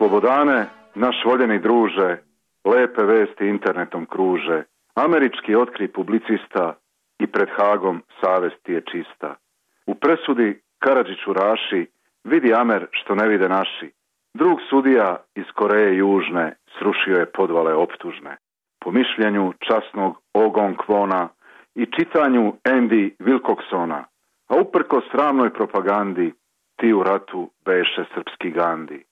Slobodane, naš voljeni druže, lepe vesti internetom kruže. Američki otkri publicista i pred Hagom savest ti je čista. U presudi Karadžiću Raši vidi Amer što ne vide naši. Drug sudija iz Koreje Južne srušio je podvale optužne. Po mišljenju časnog Ogon Kvona i čitanju Andy Wilcoxona, a uprko sramnoj propagandi, ti u ratu beše srpski Gandi.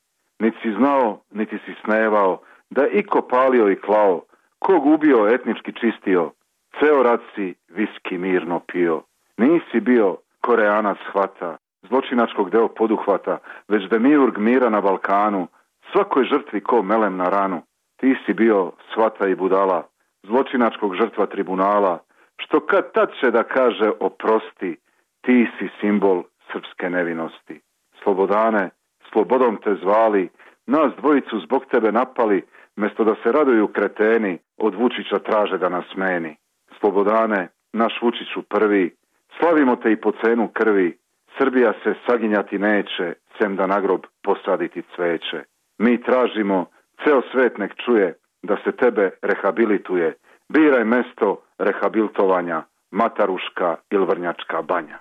Niti si znao, niti si snevao, da iko palio i klao, kog ubio etnički čistio, ceo rat si viski mirno pio. Nisi bio Koreanac hvata, zločinačkog deo poduhvata, već demiurg mira na Balkanu, svakoj žrtvi ko melem na ranu. Ti si bio svata i budala, zločinačkog žrtva tribunala, što kad tad će da kaže oprosti, ti si simbol srpske nevinosti. Slobodane, slobodom te zvali, nas dvojicu zbog tebe napali, mesto da se raduju kreteni, od Vučića traže da nas smeni. Slobodane, naš Vučiću prvi, slavimo te i po cenu krvi, Srbija se saginjati neće, sem da na grob posaditi cveće. Mi tražimo, ceo svet nek čuje, da se tebe rehabilituje. Biraj mesto rehabilitovanja, Mataruška ili Vrnjačka banja.